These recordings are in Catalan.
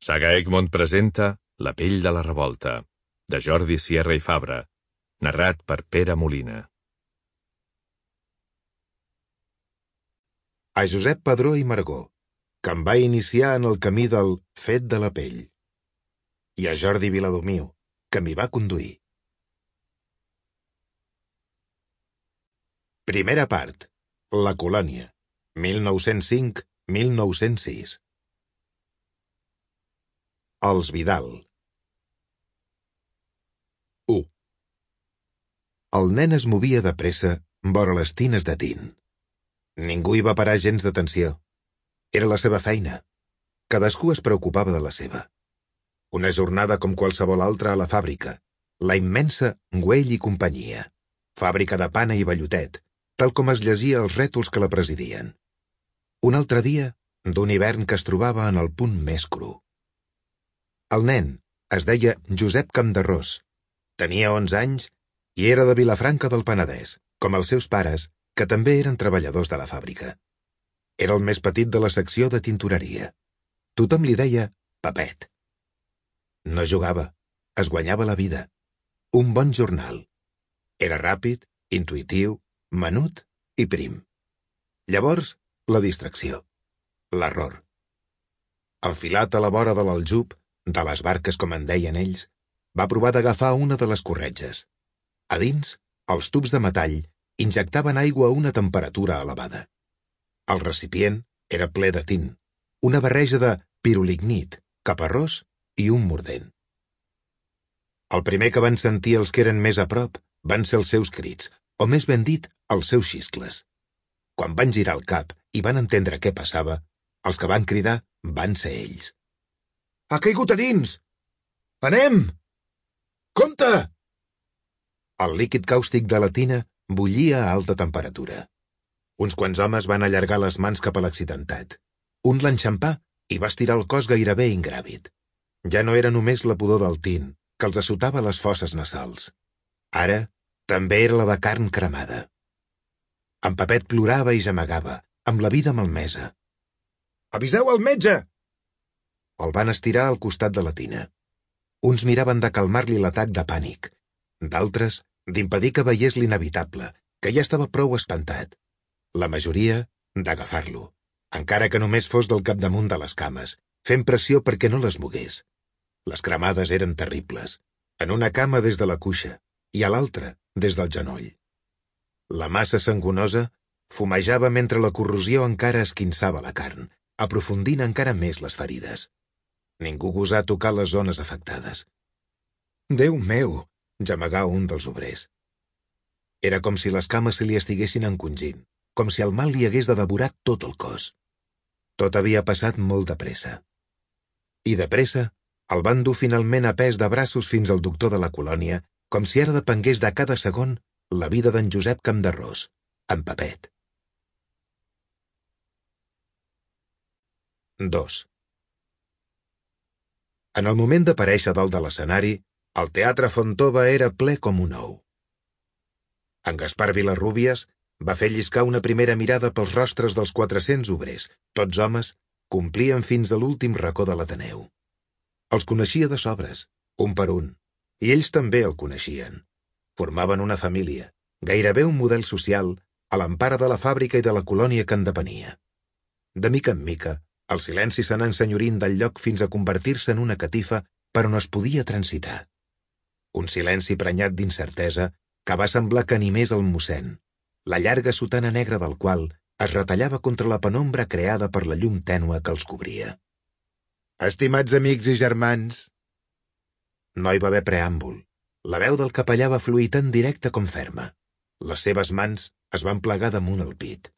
Saga Egmont presenta La pell de la revolta, de Jordi Sierra i Fabra, narrat per Pere Molina. A Josep Padró i Margó, que em va iniciar en el camí del fet de la pell, i a Jordi Viladomiu, que m'hi va conduir. Primera part. La colònia, 1905-1906. Els Vidal. 1. El nen es movia de pressa vora les tines de tint. Ningú hi va parar gens d'atenció. Era la seva feina. Cadascú es preocupava de la seva. Una jornada com qualsevol altra a la fàbrica, la immensa Güell i companyia, fàbrica de pana i vellotet, tal com es llegia als rètols que la presidien. Un altre dia d'un hivern que es trobava en el punt més cru. El nen es deia Josep Campderrós, tenia 11 anys i era de Vilafranca del Penedès, com els seus pares, que també eren treballadors de la fàbrica. Era el més petit de la secció de tintoreria. Tothom li deia Pepet. No jugava, es guanyava la vida. Un bon jornal. Era ràpid, intuïtiu, menut i prim. Llavors, la distracció. L'error. Enfilat a la vora de l'aljub, de les barques com en deien ells, va provar d'agafar una de les corretges. A dins, els tubs de metall injectaven aigua a una temperatura elevada. El recipient era ple de tint, una barreja de pirolignit, caparrós i un mordent. El primer que van sentir els que eren més a prop van ser els seus crits, o més ben dit, els seus xiscles. Quan van girar el cap i van entendre què passava, els que van cridar van ser ells. «Ha caigut a dins! Anem! Compte!» El líquid càustic de la tina bullia a alta temperatura. Uns quants homes van allargar les mans cap a l'accidentat. Un l'enxampà i va estirar el cos gairebé ingràvid. Ja no era només la pudor del tint, que els assotava les fosses nasals. Ara també era la de carn cremada. En Pepet plorava i gemegava, amb la vida malmesa. «Aviseu al metge!» El van estirar al costat de la tina. Uns miraven de calmar-li l'atac de pànic, d'altres d'impedir que veiés l'inevitable, que ja estava prou espantat. La majoria d'agafar-lo, encara que només fos del capdamunt de les cames, fent pressió perquè no les mogués. Les cremades eren terribles, en una cama des de la cuixa i a l'altra des del genoll. La massa sangonosa fumejava mentre la corrosió encara esquinçava la carn, aprofundint encara més les ferides. Ningú gosà tocar les zones afectades. «Déu meu!», gemegà un dels obrers. Era com si les cames se li estiguessin encongint, com si el mal li hagués de devorar tot el cos. Tot havia passat molt de pressa. I de pressa el van dur finalment a pes de braços fins al doctor de la colònia, com si ara depengués de cada segon la vida d'en Josep Campderrós, en Pepet. 2. En el moment d'aparèixer dalt de l'escenari, el Teatre Fontova era ple com un ou. En Gaspar Vilarrúbies va fer lliscar una primera mirada pels rostres dels 400 obrers, tots homes, complien fins a l'últim racó de l'Ateneu. Els coneixia de sobres, un per un, i ells també el coneixien. Formaven una família, gairebé un model social, a l'empara de la fàbrica i de la colònia que en depenia. De mica en mica, el silenci s'anà ensenyorint del lloc fins a convertir-se en una catifa per on es podia transitar. Un silenci prenyat d'incertesa que va semblar que animés el mossèn, la llarga sotana negra del qual es retallava contra la penombra creada per la llum tènue que els cobria. «Estimats amics i germans!» No hi va haver preàmbul. La veu del capellà va fluir tan directa com ferma. Les seves mans es van plegar damunt el pit.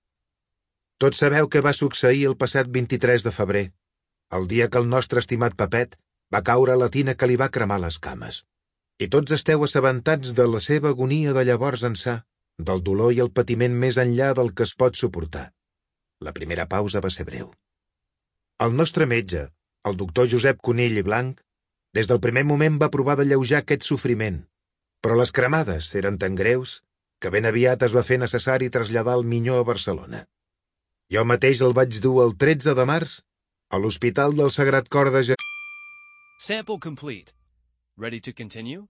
«Tots sabeu què va succeir el passat 23 de febrer, el dia que el nostre estimat Pepet va caure a la tina que li va cremar les cames. I tots esteu assabentats de la seva agonia de llavors ençà, del dolor i el patiment més enllà del que es pot suportar». La primera pausa va ser breu. El nostre metge, el doctor Josep Conill i Blanc, des del primer moment va provar d'alleujar aquest sofriment, però les cremades eren tan greus que ben aviat es va fer necessari traslladar el minyó a Barcelona. Jo mateix el vaig dur el 13 de març a l'Hospital del Sagrat Cor de Jesús. Sample complete. Ready to continue?